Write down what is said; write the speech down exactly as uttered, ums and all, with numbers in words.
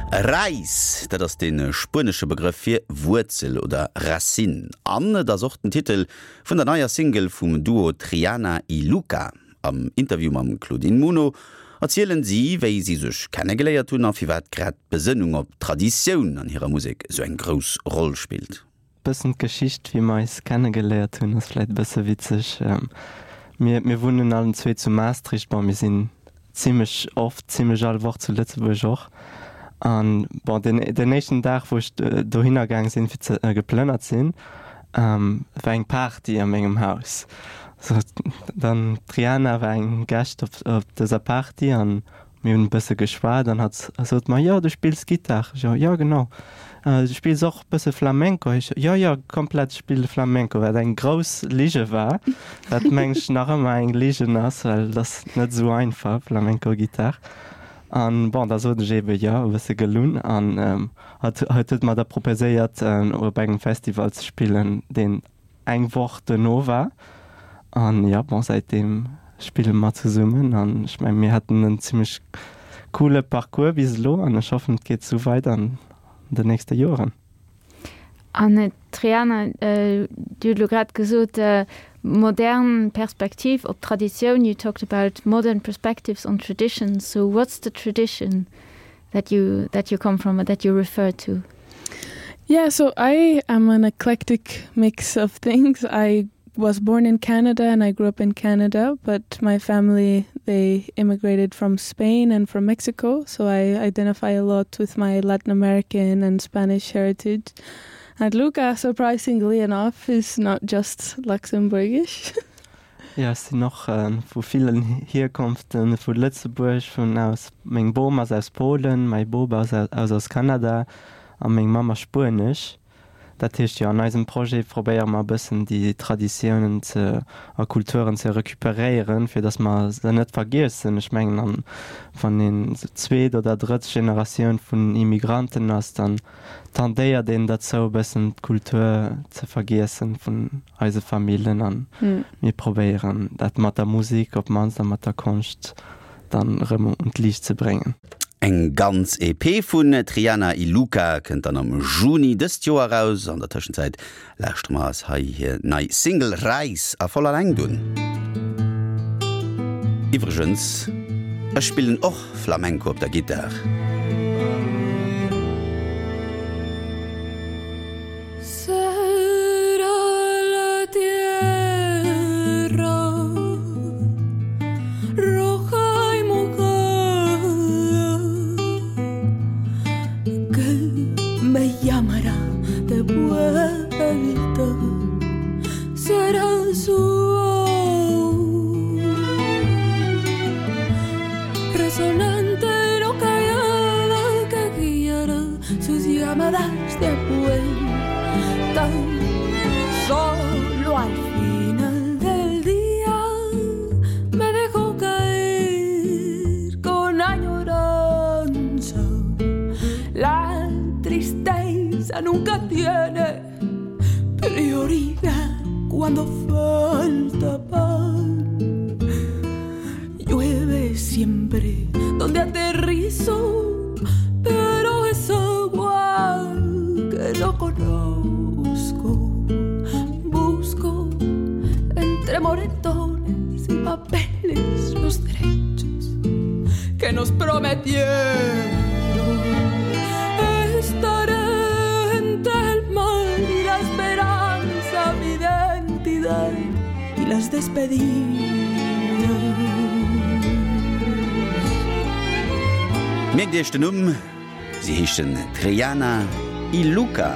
Raíz, dat ass de spuenesche Begrëff fir Wuerzel oder Racine. An et ass och den Titel vun der neier Single vum Duo Triana y Luca. Am Interview mam Claudine Muno erzielen si, wéi si sech kennegeléiert hunn a firwat grad d'Besënnung op Traditioun an hirer Musek sou eng grouss Roll spillt. Bëssen d'Geschicht, wéi mer eis kennegeléiert hunn, ass vläit e bësse witzeg. Mir, mir wunnen allen zwee zu Maastricht, bon, mir sinn zimmlech oft, zimmlech all Woch zu Lëtzebuerg och. An bon, den, den éischten Dag, wou ech dohinner gaang sinn, fir ze geplënnert sinn, war eng Party a mengem Haus. So, dann d'Triana war eng Gäscht op, op dëser Party an mir hunn e bësse geschwat an hatt sot mer, jo, du spills Gittar? Ech jo, jo, genau. Du spills och e bësse Flamenco? Ech jo, jo, komplett, ech spille Flamenco, wat eng grouss Lige war, wat meng ech nach ëmmer eng Ligen ass, well et ass net esou einfach, Flamenco-Gittar. An bon, da sot ech eebe jo, e bësse gelunn an hatt hatt huet mer da proposéiert op engem Festival ze spillen, deen eng Woch duerno war. An jo, bon, säitdeem spille mer zesummen an ech mengen, mir haten en zimmlech coole Parcours bis elo an ech hoffen, et geet esou weider an den nächste Joren. An Triana, Dir hutt elo grad gesot, modern Perspektiv op Traditioun. You talked about modern perspectives on traditions. So what's the tradition that you that you come from or that you refer to? Yeah, so I am an eclectic mix of things. I was born in Canada and I grew up in Canada, but my family they immigrated from Spain and from Mexico, so I identify a lot with my Latin American and Spanish heritage. And Luca, surprisingly enough, is not just Luxembourgish. Jo, ech sinn och vu villen Hierkonften, vu Lëtzebuerg, vun aus, meng Bom ass aus Polen, mäi Bop ass aus aus Kanada a meng Mamm ass spuenesch. Dat heescht, jo, an eisem Projet probéiere mer e bëssen déi Traditiounen ze a Kulturen ze recuperéieren, fir datt mer se net vergiessen. Ech mengen, an wann een esou zweet oder drëtt Generatioun vun Immigranten ass, dann tendéiert een derzou e bëssen d'Kultur ze vergiessen vun eise Famillen. An mir probéieren dat mat der Musek op d'mannst a mat der Konscht dann erëm un d'Liicht ze bréngen. Eng ganz E P vun Triana y Luca kënnt dann am Juni dëst Joer eraus. An der Tëschenzäit lauschtere mer eis hei hir nei Single Raíz a voller Längt un. Iwwregens, ech spillen och Flamenco op der Gittar. Será la tierra roja y mojada que me llamará de vuelta. Será su voz resonante y no callada que guiará sus llamadas de vuelta. Solo al final del día me dejo caer con añoranza. La tristeza nunca tiene prioridad cuando falta pan. Llueve siempre donde aterrizo, pero es agua que no conozco. Busco entre moretones y papeles los derechos que nos prometieron. Estaré entre el mal y la esperanza, mi identidad y las despedidas. Mierkt Iech den Numm, si heeschen Triana y Luca.